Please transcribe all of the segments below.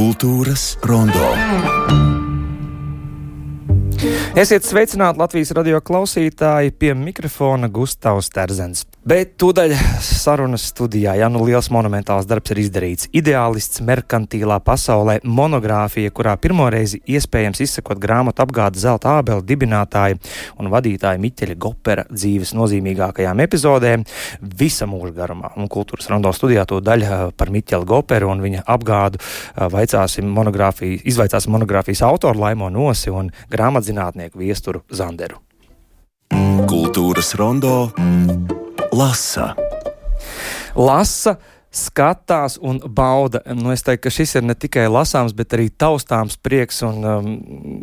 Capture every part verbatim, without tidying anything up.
Kultūras rondo. Esiet sveicināti Latvijas radio klausītāji, pie mikrofona Gustavs Terzens. Bet tūdaļ sarunas studijā, ja nu liels monumentāls darbs ir izdarīts. Ideālists merkantīlā pasaulē monogrāfija, kurā pirmoreizi iespējams izsakot grāmatu apgāde Zelta ābele dibinātāja un vadītāja Miķeļa Gopera dzīves nozīmīgākajām epizodēm visa mūža garumā. Un Kultūras rondo studijā tūdaļ par Miķeli Goperu un viņa apgādu vaicāsim monogrāfiju, izvaicāsim monogrāfijas autoru Laimo Nosi un grāmatzinātnieku Viesturu Zanderu. Kultūras rondo lasa. Lasa, skatās un bauda. Nu, es teiktu, ka šis ir ne tikai lasāms, bet arī taustāms prieks un, um,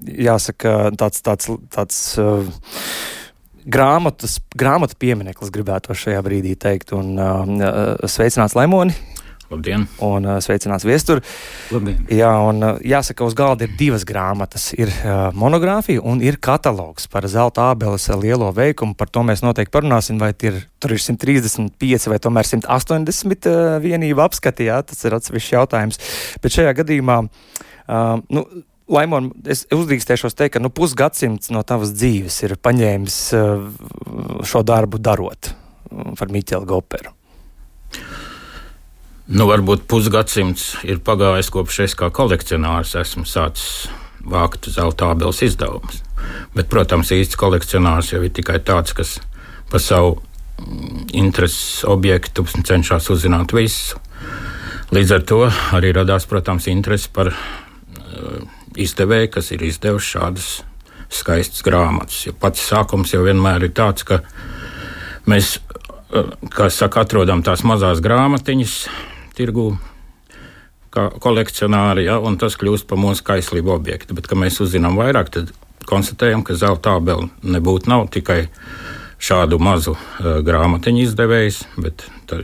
jāsaka, tāds, tāds, tāds uh, grāmatas, grāmatu piemineklis gribētu šajā brīdī teikt. Un uh, sveicināts Laimoni. Labdien! Un uh, sveicināts Viestur. Labdien! Jā, un uh, jāsaka, uz galda ir divas grāmatas. Ir uh, monogrāfija un ir katalogs par Zelta ābeles lielo veikumu. Par to mēs noteikti parunāsim, vai ir, tur ir simt trīsdesmit pieci vai tomēr simt astoņdesmit uh, vienību apskati, jā, tas ir atsevišķs jautājums. Bet šajā gadījumā, uh, nu, Laimon, es uzdrīkstēšos teikt, ka nu, pusgadsimts no tavas dzīves ir paņēmis uh, šo darbu darot uh, par Miķeli Goperu. Nu, varbūt pusgadsimts ir pagājis, kopš es kā kolekcionārs esmu sācis vākt Zelta ābeles izdevumus. Bet, protams, īsts kolekcionārs jau ir tikai tāds, kas par savu intereses objektu cenšas uzzināt visu. Līdz ar to arī radās, protams, interesi par uh, izdevēju, kas ir izdevuši šādas skaistas grāmatas. Jo pats sākums jau vienmēr ir tāds, ka mēs, uh, kā saka, atrodam tās mazās grāmatiņas tirgū, kā kolekcionāri, ja, un tas kļūst par mūsu kaislību objektu. Bet, kad mēs uzzinām vairāk, tad konstatējam, ka Zelta ābele nebūtu nav tikai šādu mazu uh, grāmatiņu izdevējs, bet ta,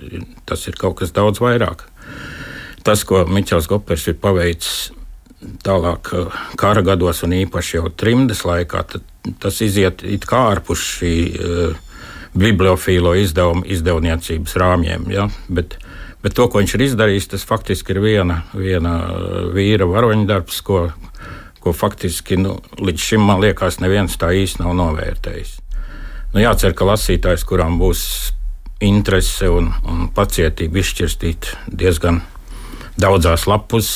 tas ir kaut kas daudz vairāk. Tas, ko Miķels Gopers ir paveicis tālāk uh, kara gados un īpaši jau trimdes laikā, tad, tas iziet it kā ārpus šī uh, bibliofīlo izdevumu izdevniecības rāmjiem, ja, bet Bet to, ko viņš ir izdarījis, tas faktiski ir viena, viena vīra varoņdarbs, ko, ko faktiski nu, līdz šim, man liekas, neviens tā īsti nav novērtējis. Nu, jācer, ka lasītājs, kurām būs interese un, un pacietība izšķirstīt diezgan daudzās lapus,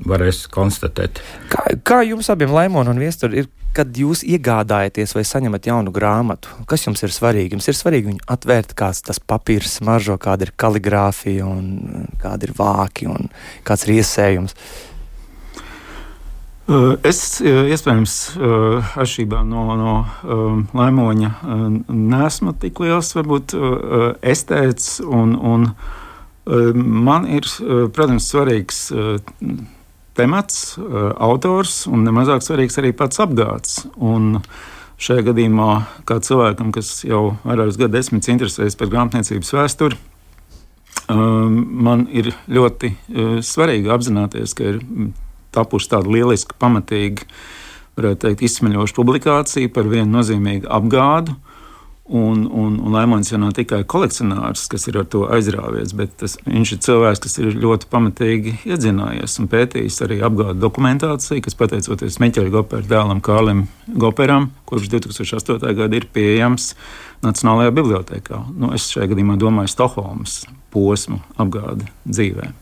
varēs konstatēt. Kā, kā jums abiem, Laimon un Viestur, ir, kad jūs iegādājaties vai saņemat jaunu grāmatu? Kas jums ir svarīgi? Jums ir svarīgi viņu atvērt, kāds tas papīrs smaržo, kāda ir kaligrāfija un kāda ir vāki un kāds ir iesējums? Es, iespējams, atšķirībā no, no Laimoņa neesmu tik liels, varbūt, estēts, un, un man ir, protams, svarīgs temats, autors un nemazāk svarīgs arī pats apgāds. Un šajā gadījumā, kā cilvēkam, kas jau vairākus gadu desmitus interesējas par grāmatniecības vēsturi, man ir ļoti svarīgi apzināties, ka ir tapuši tāda lieliska, pamatīga, varētu teikt, izsmeļoša publikācija par vienu nozīmīgu apgādu. Un, un, un Laimons jau nav tikai kolekcionārs, kas ir ar to aizrāvies, bet tas, viņš ir cilvēks, kas ir ļoti pamatīgi iedzinājies un pētījis arī apgādu dokumentāciju, kas pateicoties Miķeļa Gopera dēlam Kārlim Goperam, kurš divs tūkstoši astotajā gadā ir pieejams Nacionālajā bibliotēkā. Nu, es šajā gadījumā domāju Stokholmas posmu apgādi dzīvē.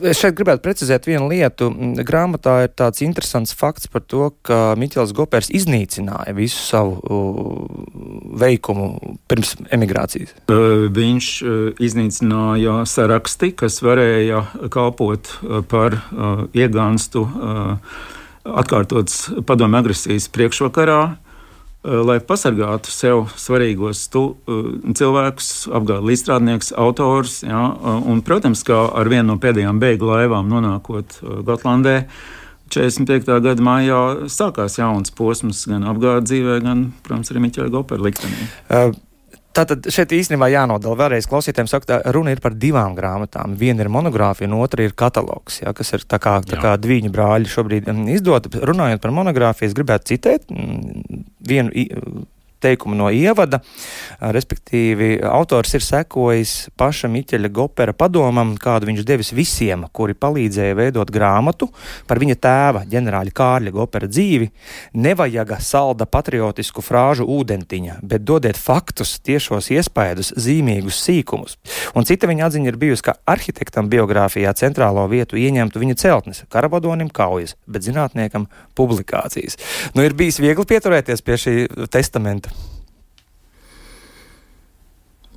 Es šeit gribētu precizēt vienu lietu. Grāmatā ir tāds interesants fakts par to, ka Miķels Gopers iznīcināja visu savu veikumu pirms emigrācijas. Viņš iznīcināja saraksti, kas varēja kalpot par iegānstu atkārtotas padomju agresijas priekšvakarā, lai pasargātu sev svarīgos tu, cilvēkus, apgādu līdzstrādnieks, autors. Ja, un, protams, kā ar vienu no pēdējām bēgļu laivām nonākot Gotlandē, četrdesmit piektā gada maijā sākās jauns posms gan apgādu dzīvē, gan, protams, arī Miķeļa Gopera liktenī. Uh. Tātad šeit īstenībā jānodala vēlreiz klausītājiem, saka, runa ir par divām grāmatām. Viena ir monogrāfija, un otra ir katalogs, ja, kas ir tā kā, tā kā Dviņu brāļi šobrīd izdota. Runājot par monogrāfiju, es gribētu citēt vienu teikumu no ievada, respektīvi autors ir sekojis paša Miķeļa Gopera padomam, kādu viņš devis visiem, kuri palīdzēja veidot grāmatu par viņa tēva, ģenerāļa Kārļa Gopera dzīvi. Nevajaga salda patriotisku frāžu ūdentiņa, bet dodiet faktus, tiešos iespaidus, zīmīgus sīkumus. Un cita viņa atziņa ir bijusi, ka arhitektam biogrāfijā centrālo vietu ieņemtu viņa celtnes, karavadonim kaujas, bet zinātniekam publikācijas. Nu, ir bijis viegli pieturēties pie šī testamenta?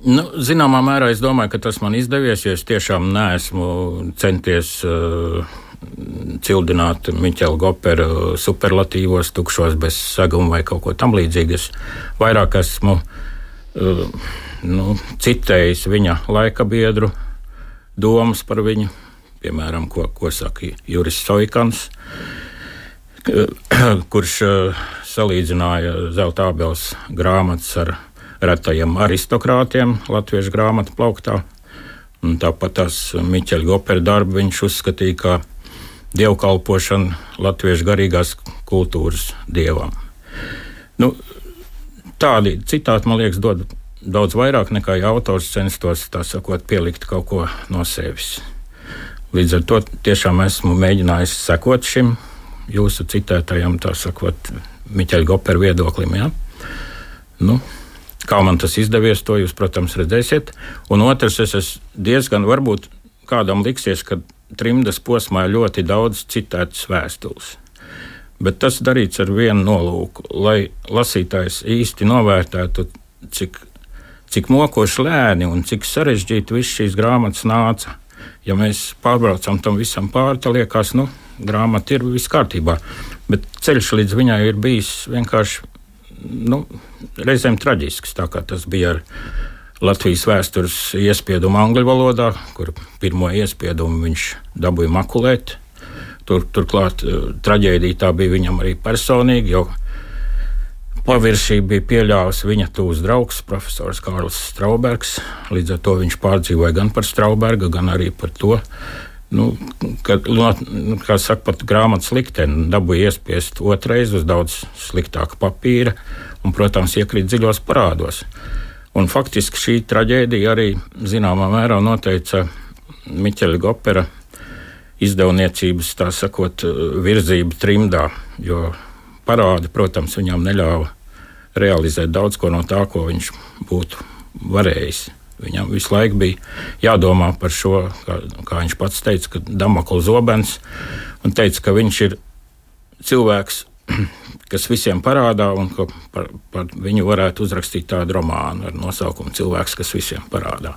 Nu, zināmā mērā es domāju, ka tas man izdevies, jo es tiešām neesmu centies uh, cildināt Miķeļa Gopera superlatīvos, tukšos bez saguma vai kaut ko tam līdzīgi. Es vairāk esmu uh, nu, citējis viņa laika biedru domas par viņu, piemēram, ko, ko saka Juris Soikans, kurš uh, salīdzināja Zelta ābeles grāmatas ar retajiem aristokrātiem latviešu grāmatu plauktā. Un tāpat tās Miķeļa Gopera darbu viņš uzskatīja kā dievkalpošanu latviešu garīgās kultūras dievam. Nu, tādi citāti, man liekas, dod daudz vairāk nekā ja autors censtos, tā sakot, pielikt kaut ko no sevis. Līdz ar to tiešām esmu mēģinājis sekot šim jūsu citētajam, tā sakot, Miķeļa Gopera viedoklim, ja? Nu, kā man tas izdevies, to jūs, protams, redzēsiet. Un otrs, es esmu diezgan, varbūt kādam liksies, ka trimdas posmā ir ļoti daudz citētas vēstules. Bet tas darīts ar vienu nolūku, lai lasītājs īsti novērtētu, cik, cik mokoši lēni un cik sarežģīti viss šīs grāmatas nāca. Ja mēs pārbraucam tam visam pāri, tad liekas, nu, grāmata ir viss kārtībā. Bet ceļš līdz viņai ir bijis vienkārši, nu, reizēm traģisks, tā kā tas bija ar Latvijas vēstures iespiedumu angļu valodā, kur pirmo iespiedumu viņš dabūja makulēt. Tur, turklāt traģēdija tā bija viņam arī personīgi, jo paviršība bija pieļāvusi viņa tūs draugs, profesors Kārlis Straubergs. Līdz ar to viņš pārdzīvoja gan par Strauberga, gan arī par to, nu, ka, nu, kā saka, pat grāmatas likteni dabūja iespiest otrais uz daudz sliktāka papīra un, protams, iekrīt dziļos parādos. Un faktiski šī traģēdija arī zināmā mērā noteica Miķeļa Gopera izdevniecības, tā sakot, virzību trimdā, jo parādi, protams, viņam neļāva realizēt daudz ko no tā, ko viņš būtu varējis. Viņam visu laiku bija jādomā par šo, kā, kā viņš pats teica, ka Damokla zobens, un teica, ka viņš ir cilvēks, kas visiem parādā, un ka par, par viņu varētu uzrakstīt tādu romānu ar nosaukumu Cilvēks, kas visiem parādā.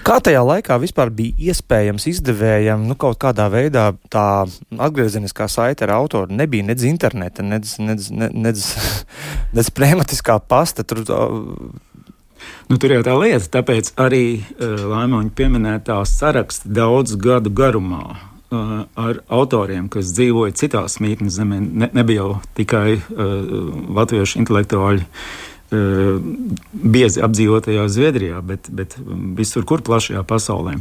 Kā tajā laikā vispār bija iespējams izdevējam, nu, kaut kādā veidā tā atgriezeniskā saite ar autoru? Nebija nedz interneta, nedz, nedz, nedz, nedz pneumatiskā pasta. Tur, Nu, tur jau tā lieta, tāpēc arī uh, Laimoņa pieminētā saraksta daudz gadu garumā uh, ar autoriem, kas dzīvoja citās mītnes zemē. Ne, nebija jau tikai uh, latviešu intelektuāļi uh, biezi apdzīvotajā Zviedrijā, bet, bet visur, kur plašajā pasaulē.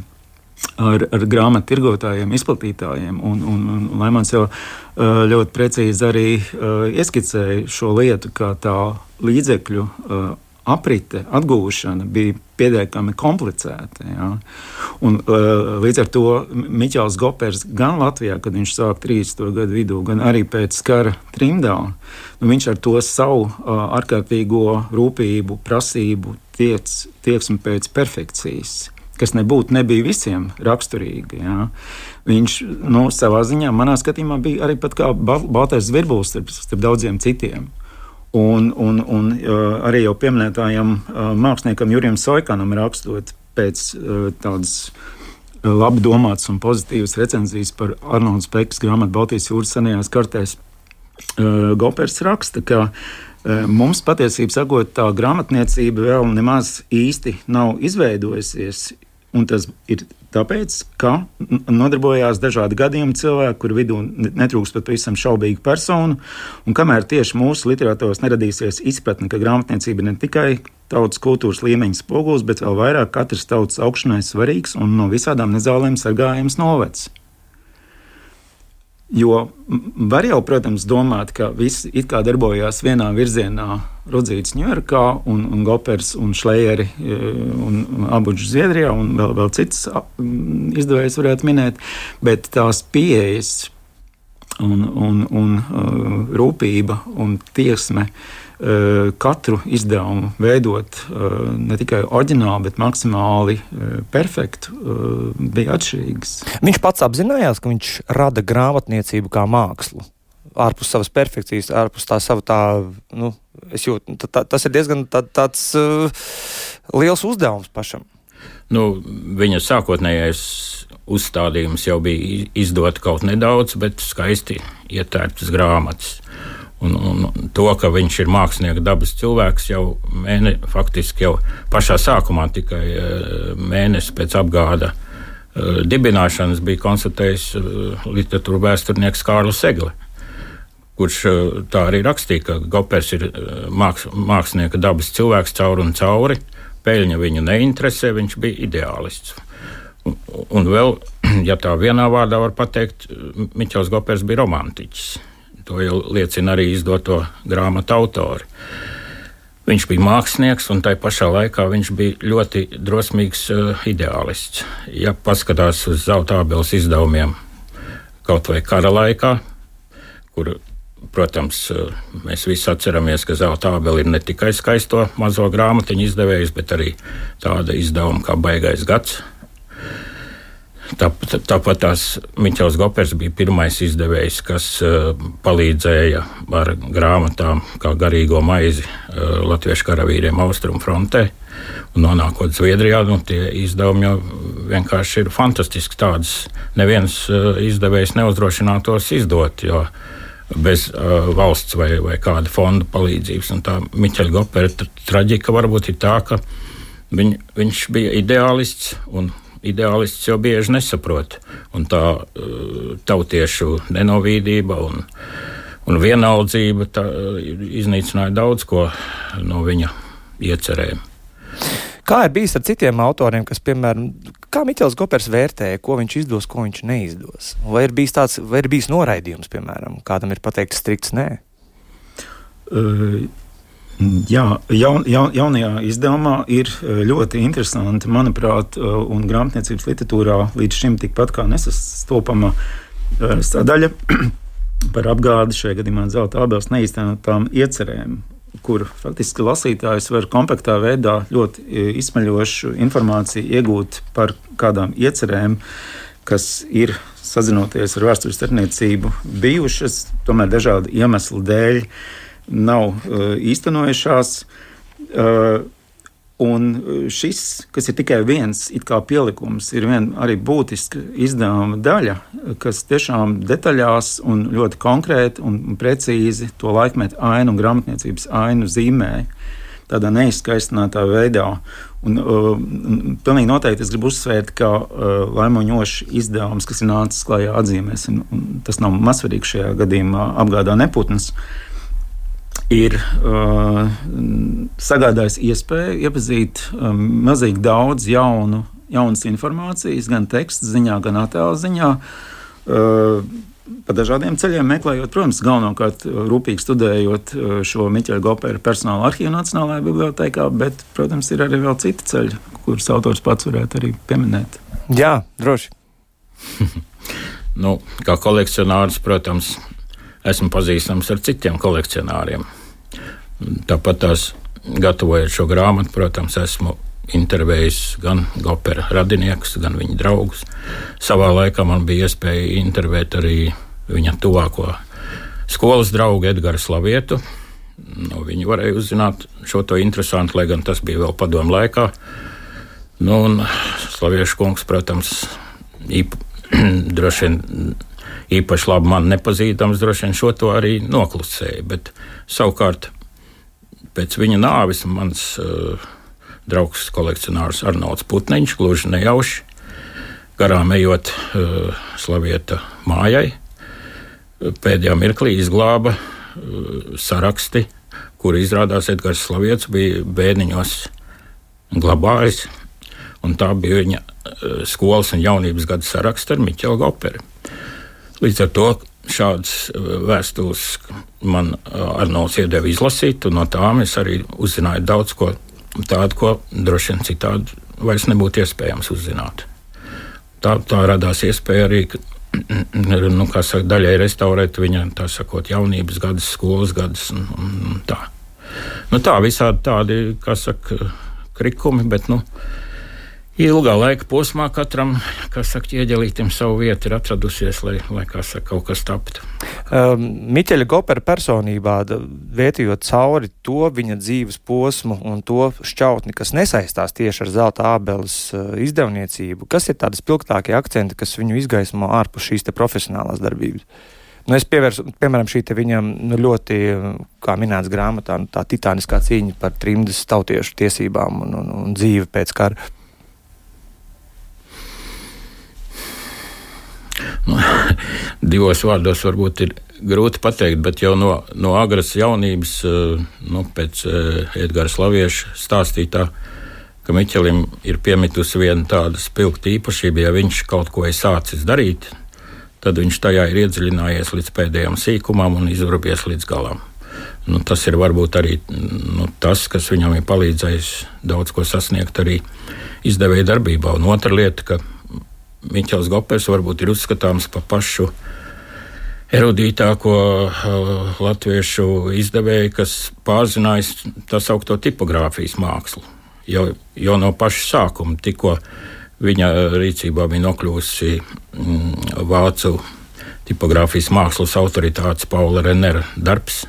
Ar, ar grāmatu tirgotājiem, izplatītājiem. Un, un, un Laimons jau uh, ļoti precīzi arī uh, ieskicēja šo lietu, kā tā līdzekļu uh, aprite, atgūšana bija pietiekami komplicēta. Ja? Un, uh, līdz ar to Miķels Gopers gan Latvijā, kad viņš sāk trīsdesmito gadu vidū, gan arī pēc kara trimdā, nu, viņš ar to savu uh, ārkārtīgo rūpību, prasību, tiec, tieksmi pēc perfekcijas, kas nebūtu nebija visiem raksturīgi. Ja? Viņš nu, savā ziņā, manā skatījumā, bija arī pat kā Baltais Zvirbulis starp, starp daudziem citiem. Un, un, un uh, arī jau pieminētājam uh, māksliniekam Jurijam Soikanam rakstot pēc uh, tādas uh, labi domātas un pozitīvas recenzijas par Arnolda Spekas grāmatu Baltijas jūras senajās kartēs, uh, Gopers raksta, ka uh, mums patiesībā sakot, tā grāmatniecība vēl nemaz īsti nav izveidojusies, un tas ir tāpēc, ka nodarbojās dažādi gadījumi cilvēki, kur vidū netrūkst pat pavisam šaubīgu personu, un kamēr tieši mūsu literatūros neradīsies izpratne, ka grāmatniecība ne tikai tautas kultūras līmeņa spogulis, bet vēl vairāk katras tautas augšanai svarīgs un no visādām nezālēm sargājams novads. Jo var jau, protams, domāt, ka visi it kā darbojās vienā virzienā, Rudzīts Ņujorkā un, un Gopers un Šlejeri un, un Abuģis Zviedrijā un vēl, vēl cits izdevējs varētu minēt, bet tās pieejas un, un, un uh, rūpība un tieksme uh, katru izdevumu veidot uh, ne tikai oriģināli, bet maksimāli uh, perfektu, uh, bija atšķirīgas. Viņš pats apzinājās, ka viņš rada grāmatniecību kā mākslu. Ārpus savas perfekcijas, ārpus tā sava tā, nu, es jūtu, tā, tā, tas ir diezgan tā, tāds uh, liels uzdevums pašam. Nu, viņa sākotnējais uzstādījums jau bija izdot kaut nedaudz, bet skaisti ietērptas grāmatas. Un, un to, ka viņš ir mākslinieka dabas cilvēks, jau mēne, faktiski jau pašā sākumā tikai mēnesi pēc apgāda uh, dibināšanas bija konstatējis uh, literatūra vēsturnieks Kārlis Egle, kurš tā arī rakstīja, ka Gopers ir māks, mākslinieka dabas cilvēks cauri un cauri, peļņa viņu neinteresē, viņš bija ideālists. Un, un vēl, ja tā vienā vārdā var pateikt, Miķels Gopers bija romantiķis. To jau liecina arī izdoto grāmatu autori. Viņš bija mākslinieks, un tai pašā laikā viņš bija ļoti drosmīgs uh, ideālists. Ja paskatās uz Zelta ābeles izdevumiem kaut vai kara laikā, kur, protams, mēs visi atceramies, ka Zelta ābele ir ne tikai skaisto mazo grāmatiņu izdevējs, bet arī tāda izdevuma kā Baigais gads. Tāpat, tāpat tās Miķels Gopers bija pirmais izdevējs, kas uh, palīdzēja ar grāmatām kā garīgo maizi uh, latviešu karavīriem Austrumu frontē. Un nonākot Zviedrijā, nu, tie izdevumi jau vienkārši ir fantastiski. Tādas neviens uh, izdevējs neuzdrošinātos izdot, jo bez uh, valsts vai, vai kāda fonda palīdzības. Un tā Miķeļa Gopera traģika varbūt ir tā, ka viņ, viņš bija ideālists, un ideālists jau bieži nesaprot. Un tā uh, tautiešu nenovīdība un, un vienaldzība tā, uh, iznīcināja daudz ko no viņa iecerēm. Kā ir bijis ar citiem autoriem, kas, piemēram, kā Miķels Gopers vērtēja, ko viņš izdos, ko viņš neizdos? Vai ir bijis tāds, vai ir bijis noraidījums, piemēram, kādam ir pateikts strikts nē? Uh, jā, jaun, jaun, jaunajā izdevumā ir ļoti interesanti, manuprāt, un grāmatniecības literatūrā līdz šim tikpat kā nesastopama uh, sadaļa par apgādi, šajā gadījumā Zelta ābeles neīstenotām iecerēm, kur faktiski lasītājs var kompaktā veidā ļoti izsmeļošu informāciju iegūt par kādām iecerēm, kas ir, sazinoties ar vēstures starpniecību, bijušas, tomēr dažādu iemeslu dēļ nav uh, īstenojušās. Uh, un šis, kas ir tikai viens it kā pielikums, ir viena arī būtiska izdevuma daļa, kas tiešām detaļās un ļoti konkrēti un precīzi to laikmetu ainu un grāmatniecības ainu zīmē tādā neizskaistinātā veidā. Un, uh, un pilnīgi noteikti es gribu uzsvērt, ka uh, Laimoņoša izdevums, kas ir nācis klājā atzīmēsim, un tas nav mazsvarīgi šajā gadījumā apgādā neputns, ir uh, sagādājis iespēju iepazīt um, mazīgi daudz jaunu, jaunas informācijas, gan teksta ziņā, gan attēla ziņā, uh, pa dažādiem ceļiem meklējot, protams, galvenokārt rūpīgi studējot uh, šo Miķeļa Gopera personāla arhīvu Nacionālajā bibliotēkā, bet, protams, ir arī vēl citi ceļi, kurus autors pats varētu arī pieminēt. Jā, droši. Nu, kā kolekcionārs, protams, esmu pazīstams ar citiem kolekcionāriem. Tāpat tās, gatavojot šo grāmatu, protams, esmu intervējis gan Gopera radiniekus, gan viņa draugus. Savā laikā man bija iespēja intervēt arī viņa tuvāko skolas draugu Edgaru Slavietu. Nu, viņi varēja uzzināt šo to interesantu, lai gan tas bija vēl padomu laikā. Nu, un Slaviešu kungs, protams, īp, droši vien īpaši labi man nepazīstams, droši vien šo to arī noklusēja, bet savukārt pēc viņa nāves mans uh, draugs kolekcionārs Arnolds Putniņš gluži nejauši garām ejot uh, Slavieta mājai, pēdējā mirklī izglāba uh, saraksti, kuri izrādās Edgars Slaviets bija bērniņos glabājis, un tā bija viņa uh, skolas un jaunības gada saraksts ar Miķelu Goperu. Līdz ar to šādas vēstules man Arnolds iedeva izlasīt, un no tām es arī uzzināju daudz ko tādu, ko droši vien citādi vairs nebūtu iespējams uzzināt. Tā, tā radās iespēja arī, nu, kā saka, daļai restaurēt viņa, tā sakot, jaunības gadus, skolas gadus un, un tā. Nu tā, visādi tādi, kā saka, krikumi, bet, nu, ilgā laika posmā katram, kā saka, ieģelītim savu vietu ir atradusies, lai, lai kā saka, kaut kas taptu. Um, Miķeļa Gopera personībā, vērtījot cauri to viņa dzīves posmu un to šķautni, kas nesaistās tieši ar Zelta ābeles uh, izdevniecību, kas ir tādi spilgtākie akcenti, kas viņu izgaismo ārpus šīs te profesionālās darbības? Nu, es pievērsu, piemēram, šī te viņam nu, ļoti, kā minēts grāmatā, nu, tā titāniskā cīņa par trimdas tautiešu tiesībām un, un, un dzīvi pēc kara. Nu, divos vārdos varbūt ir grūti pateikt, bet jau no, no agras jaunības, nu, pēc Edgara Slavieša stāstītā, ka Miķelim ir piemitusi viena tāda spilgta īpašība, ja viņš kaut ko ir sācis darīt, tad viņš tajā ir iedziļinājies līdz pēdējām sīkumam un izvarbies līdz galam. Nu, tas ir varbūt arī nu, tas, kas viņam ir palīdzējis daudz ko sasniegt arī izdevēja darbībā. Un otra lieta, ka Miķels Gopers varbūt ir uzskatāms par pašu erudītāko uh, latviešu izdevēju, kas pārzinājis tā saukto tipogrāfijas mākslu. Jau, jau no paša sākuma, tikko viņa rīcībā bija nokļūsi mm, vācu tipogrāfijas mākslas autoritātes Paula Renera darbs.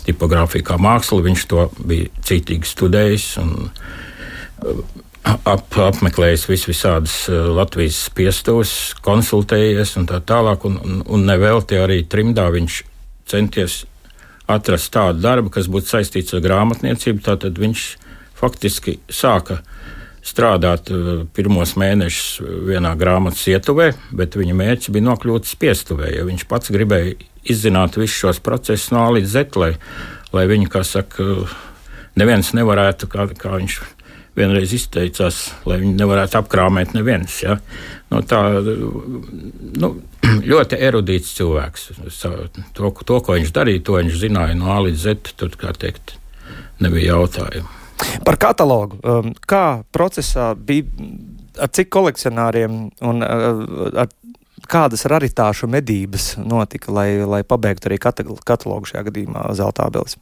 Tipogrāfija kā māksla, viņš to bija cītīgi studējis un uh, Ap, apmeklējis vis visādas Latvijas spiestos, konsultējies un tā tālāk, un, un, un nevelti arī trimdā viņš centies atrast tādu darbu, kas būtu saistīts ar grāmatniecību, tātad viņš faktiski sāka strādāt pirmos mēnešus vienā grāmatas ietuvē, bet viņa mērķis bija nokļūt spiestuvē, jo viņš pats gribēja izzināt visus šos procesus no A līdz Z, lai, lai viņi, kā saka, neviens nevarētu, kā, kā viņš vienreiz izteicās, lai viņi nevarētu apkrāmēt neviens. Ja? No tā, nu, ļoti erudīts cilvēks. To, to, ko viņš darīja, to viņš zināja no A līdz Z, tur, kā teikt, nebija jautājumu. Par katalogu. Kā procesā bija, ar cik kolekcionāriem un ar kādas raritāšu medības notika, lai, lai pabeigtu arī katalogu šajā gadījumā Zelta ābeles?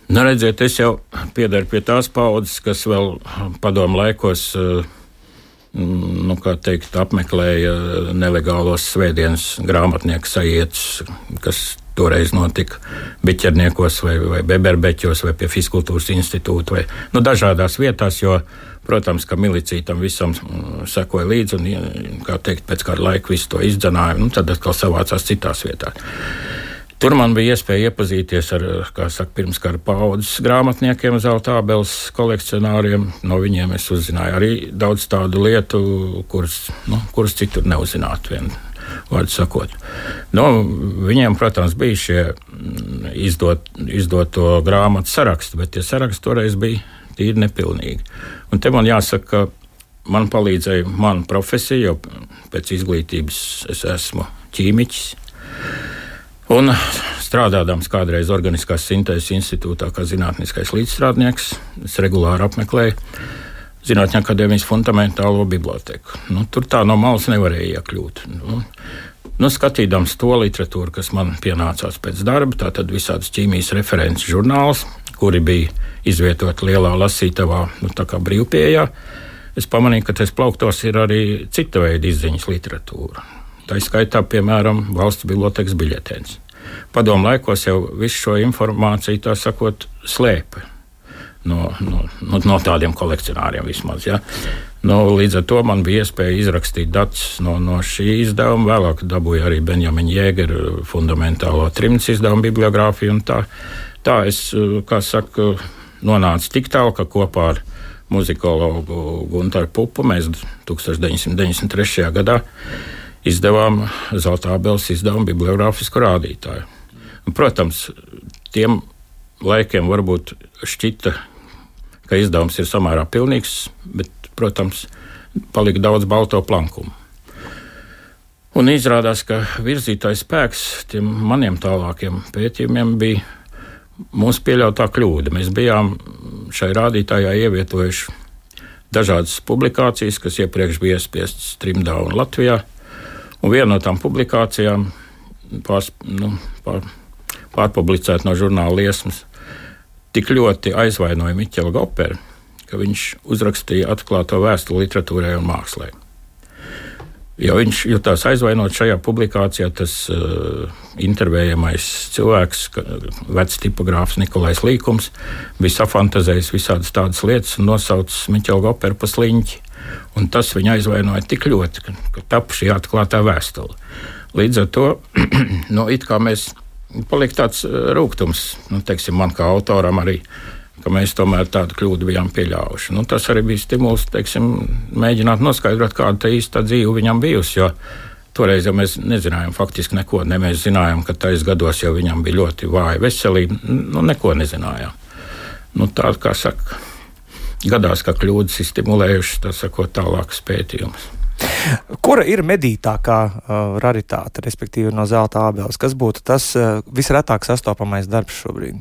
Nu, redziet, es jau piedaru pie tās paudzes, kas vēl padomu laikos, nu, kā teikt, apmeklēja nelegālos svētdienas grāmatnieku sajietus, kas toreiz notika Biķerniekos vai, vai Beberbeķos vai pie Fiskultūras institūta vai nu, dažādās vietās, jo, protams, ka milicija tam visam sekoja līdzi un, kā teikt, pēc kāda laika visu to izdzenāja, nu, tad atkal savācās citās vietās. Tur man bija iespēja iepazīties ar, kā saka, pirmskara paudzes grāmatniekiem, Zelta ābeles kolekcionāriem. No viņiem es uzzināju arī daudz tādu lietu, kuras, nu, kuras citur neuzzinātu, vien vārdu sakot. Nu, viņiem, protams, bija šie izdot, izdoto grāmatu saraksti, bet tie saraksti toreiz bija tīri nepilnīgi. Un te man jāsaka, ka man palīdzēja mana profesija, jo pēc izglītības es esmu ķīmiķis. Un strādādams kādreiz Organiskās sintēzes institūtā kā zinātniskais līdzstrādnieks, es regulāri apmeklēju Zinātņu akadēmijas fundamentālo biblioteku. Nu, tur tā no malas nevarēja iekļūt. Nu, nu, skatīdams to literatūru, kas man pienācās pēc darba, tātad visādas ķīmijas references žurnāls, kuri bija izvietoti lielā lasītavā, nu, tā kā brīvpieejā, es pamanīju, ka tais plauktos ir arī cita veida izziņas literatūra. Tā izskaitā, piemēram, valsts bibliotekas biļetēns. Padomu laikos jau visu šo informāciju, tā sakot, slēpa no, no, no, no tādiem kolekcionāriem vismaz. Ja? No, līdz ar to man bija iespēja izrakstīt datus no, no šī izdevuma. Vēlāk dabūju arī Benjamina Jēgera fundamentālo trimdas izdevumu bibliogrāfiju. Tā, tā es, kā saka, nonācu tik tālu, ka kopā ar muzikologu Guntaru Pupu mēs deviņdesmit deviņdesmit trešajā gadā izdevām Zelta ābeles izdevumu bibliogrāfisku rādītāju. Un, protams, tiem laikiem varbūt šķita, ka izdevums ir samērā pilnīgs, bet, protams, palika daudz balto plankumu. Un izrādās, ka virzītājs spēks tiem maniem tālākiem pētījumiem bija mūsu pieļautā kļūda. Mēs bijām šai rādītājā ievietojuši dažādas publikācijas, kas iepriekš bija iespiestas trimdā un Latvijā. Un viena no tām publikācijām pārs, nu, pār, pārpublicēta no žurnāla Liesmas tik ļoti aizvainoja Miķelu Goperu, ka viņš uzrakstīja atklāto vēstuli literatūrai un mākslai. Jo viņš jutās aizvainot šajā publikācijā, tas uh, intervējamais cilvēks, vecs tipogrāfs Nikolais Līkums, bija safantazējis visādas tādas lietas un nosaucis Miķelu Goperu pa sliņķi. Un tas viņu aizvainoja tik ļoti, ka, ka tapu šī atklātā vēstule. Līdz ar to, nu, it kā mēs palika tāds rūgtums, nu, teiksim, man kā autoram arī, ka mēs tomēr tādu kļūdu bijām pieļāvuši. Nu, tas arī bija stimuls, teiksim, mēģināt noskaidrot, kāda tā īsta dzīve viņam bijusi, jo toreiz jau mēs nezinājām faktiski neko, ne mēs zinājām, ka tais gados jau viņam bija ļoti vāja veselība, nu, neko nezinājām. Nu, tā, kā saka, gadās, ka kļūdas ir stimulējušas, tā sakot, tālākas pētījumus. Kura ir medītākā uh, raritāte, respektīvi no zelta ābeles? Kas būtu tas uh, visretāk sastopamais darbs šobrīd?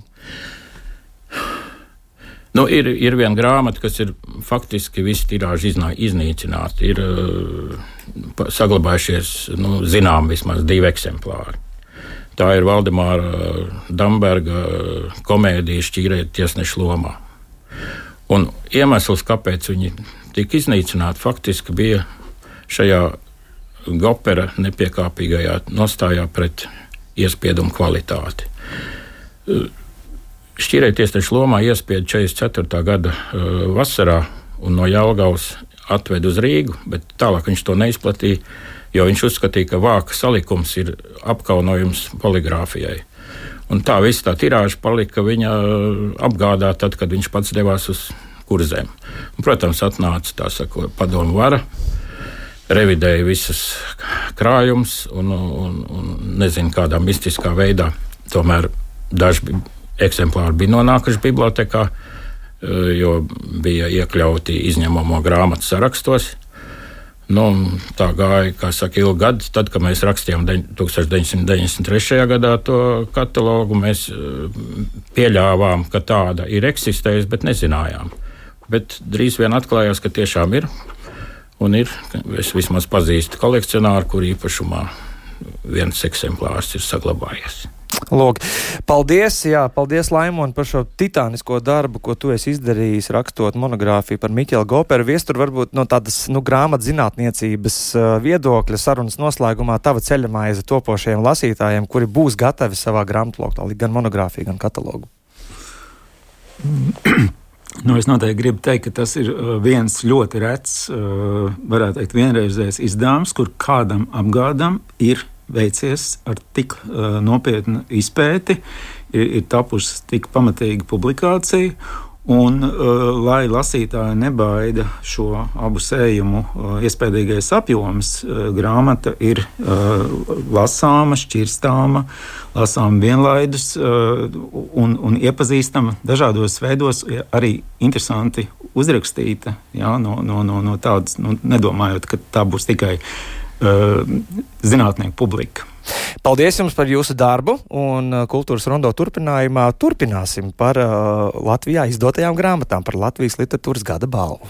Nu, ir, ir viena grāmata, kas ir faktiski visi tirāži iznīcināti. Ir uh, saglabājušies, nu, zinām, vismaz divi eksemplāri. Tā ir Valdemāra Damberga komēdija Šķīrēt tiesneša lomā. Un iemesls, kāpēc viņi tika iznīcināti, faktiski bija šajā Gopera nepiekāpīgajā nostājā pret iespiedumu kvalitāti. Šķīrēt tiesneša lomā iespieda četrdesmit ceturtā gada uh, vasarā un no Jelgavas atved uz Rīgu, bet tālāk viņš to neizplatīja, jo viņš uzskatīja, ka vāka salikums ir apkaunojums poligrāfijai. Un tā viss tā tirāža palika viņa apgādā tad, kad viņš pats devās uz kurzēm. Un, protams, atnāca tā sakot padomu vara, revidēja visas krājumus un, un, un nezinu kādā mistiskā veidā. Tomēr daži eksemplāri bija nonākuši bibliotekā, jo bija iekļauti izņemamo grāmatu sarakstos. Nu, tā gāja, kā saka, ilgi gadi. Tad, kad mēs rakstījām deviņdesmit deviņdesmit trešajā gadā to katalogu, mēs pieļāvām, ka tāda ir eksistējusi, bet nezinājām. Bet drīz vien atklājās, ka tiešām ir. Un ir, es vismaz pazīstu kolekcionāru, kur īpašumā viens eksemplārs ir saglabājies. Lūk, paldies, jā, paldies Laimon par šo titānisko darbu, ko tu esi izdarījis, rakstot monogrāfiju par Miķelu Goperu. Viestur, varbūt no tādas, nu, grāmatzinātniecības uh, viedokļa sarunas noslēgumā tava ceļamaize topošajiem lasītājiem, kuri būs gatavi savā grāmatloktā, gan monogrāfiju, gan katalogu. Nu, es noteikti gribu teikt, ka tas ir viens ļoti rets, varētu teikt, vienreizējs izdevums, kur kādam apgādam ir veicies ar tik uh, nopietnu izpēti, ir, ir tapusi tik pamatīga publikācija, un, uh, lai lasītāji nebaida šo abu sējumu uh, iespējīgais apjoms, uh, grāmata ir uh, lasāma, šķirstāma, lasāma vienlaidus uh, un, un iepazīstama dažādos veidos, arī interesanti uzrakstīta, jā, no, no, no, no tādas, nu, nedomājot, ka tā būs tikai zinātnieku publika. Paldies jums par jūsu darbu, un Kultūras rondo turpinājumā turpināsim par uh, Latvijā izdotajām grāmatām par Latvijas literatūras gada balvu.